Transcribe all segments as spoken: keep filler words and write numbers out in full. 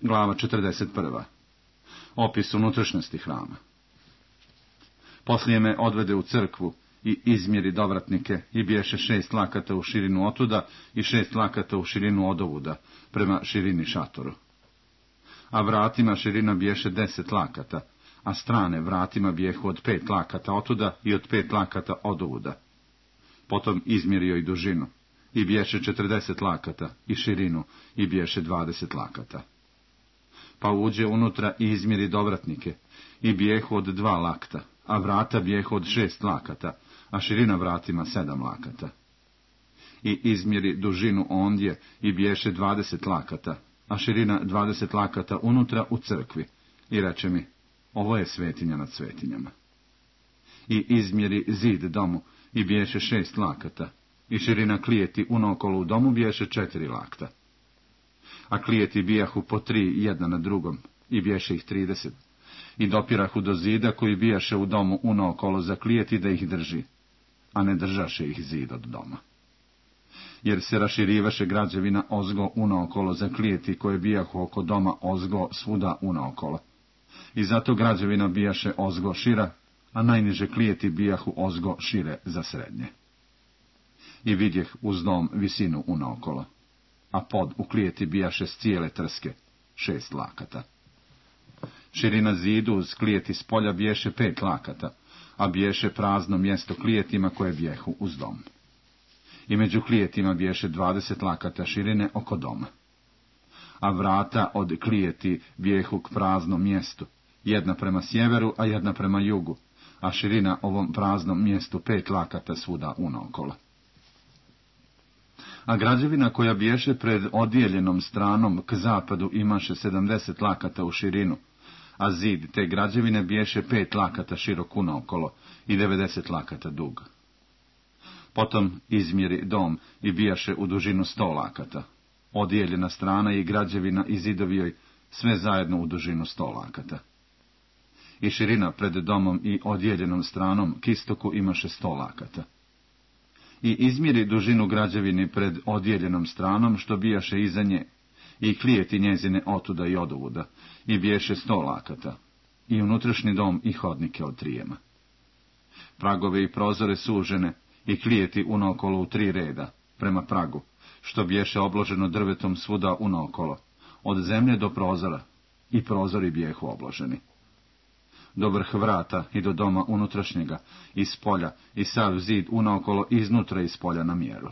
Glava četrdeset prva. Opis unutrašnjosti hrama. Poslije me odvede u crkvu i izmjeri dovratnike i biješe šest lakata u širinu otuda i šest lakata u širinu odovuda, prema širini šatoru. A vratima širina biješe deset lakata, a strane vratima bijehu od pet lakata otuda i od pet lakata odovuda. Potom izmjerio i dužinu, i biješe četrdeset lakata, i širinu, i biješe dvadeset lakata. Pa uđe unutra i izmjeri dovratnike, i bijehu od dva lakta, a vrata bijehu od šest lakata, a širina vratima sedam lakata. I izmjeri dužinu ondje, i biješe dvadeset lakata, a širina dvadeset lakata unutra u crkvi, i reče mi, ovo je svetinja nad svetinjama. I izmjeri zid domu, i biješe šest lakata, i širina klijeti unaokolo u domu biješe četiri lakta. A klijeti bijahu po tri jedna na drugom, i biješe ih trideset, i dopirahu do zida koji bijaše u domu unaokolo za klijeti da ih drži, a ne držaše ih zid od doma. Jer se raširivaše građevina ozgo unaokolo za klijeti koje bijahu oko doma ozgo svuda unaokolo. I zato građevina bijaše ozgo šira, a najniže klijeti bijahu ozgo šire za srednje. I vidjeh uz dom visinu unaokolo, a pod u klijeti bijaše s cijele trske, šest lakata. Širina zidu uz klijeti s polja biješe pet lakata, a biješe prazno mjesto klijetima koje bijehu uz dom. I među klijetima biješe dvadeset lakata širine oko doma. A vrata od klijeti bijehu k praznom mjestu, jedna prema sjeveru, a jedna prema jugu, a širina ovom praznom mjestu pet lakata svuda unaokolo. A građevina koja biješe pred odijeljenom stranom k zapadu imaše sedamdeset lakata u širinu, a zid te građevine biješe pet lakata širok unaokolo i devedeset lakata dug. Potom izmjeri dom i bijaše u dužinu sto lakata, odijeljena strana i građevina i zidovi joj sve zajedno u dužinu sto lakata. I širina pred domom i odijeljenom stranom k istoku imaše sto lakata. I izmjeri dužinu građevini pred odijeljenom stranom što bijaše iza nje, i klijeti njezine otuda i odovuda, i biješe sto lakata, i unutrašnji dom i hodnike od trijema. Pragove i prozore sužene, i klijeti unaokolo u tri reda, prema pragu, što biješe obloženo drvetom svuda unaokolo, od zemlje do prozora, i prozori bijehu obloženi. Do vrh vrata i do doma unutrašnjega, iz polja, i sav zid unaokolo iznutra iz polja na mjeru.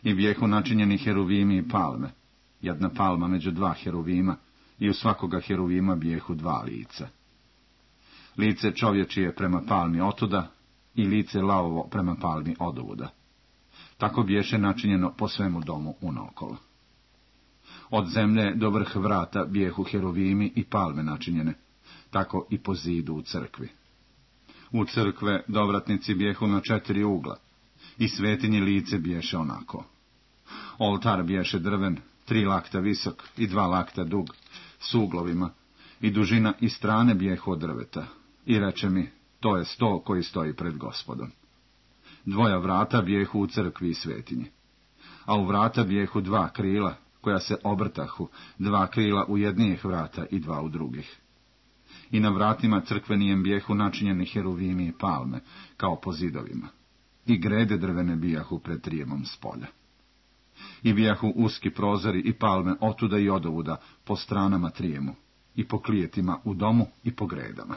I bijehu načinjeni heruvimi i palme, jedna palma među dva heruvima, i u svakoga heruvima bijehu dva lica. Lice čovječije prema palmi otuda, i lice lavovo prema palmi odovuda. Tako biješe načinjeno po svemu domu unaokolo. Od zemlje do vrh vrata bijehu heruvimi i palme načinjene, tako i po zidu u crkvi. U crkve dovratnici bijehu na četiri ugla, i svetinje lice biješe onako. Oltar biješe drven, tri lakta visok i dva lakta dug, s uglovima, i dužina i strane bijehu od drveta, i reče mi, to je sto koji stoji pred Gospodom. Dvoja vrata bijehu u crkvi i svetinji, a u vrata bijehu dva krila, koja se obrtahu, dva krila u jednijih vrata i dva u drugih. I na vratima crkvenijem bijehu načinjeni heruvimi i palme, kao po zidovima, i grede drvene bijahu pred trijemom s polja. I bijahu uski prozori i palme otuda i odovuda po stranama trijemu, i po klijetima u domu i po gredama.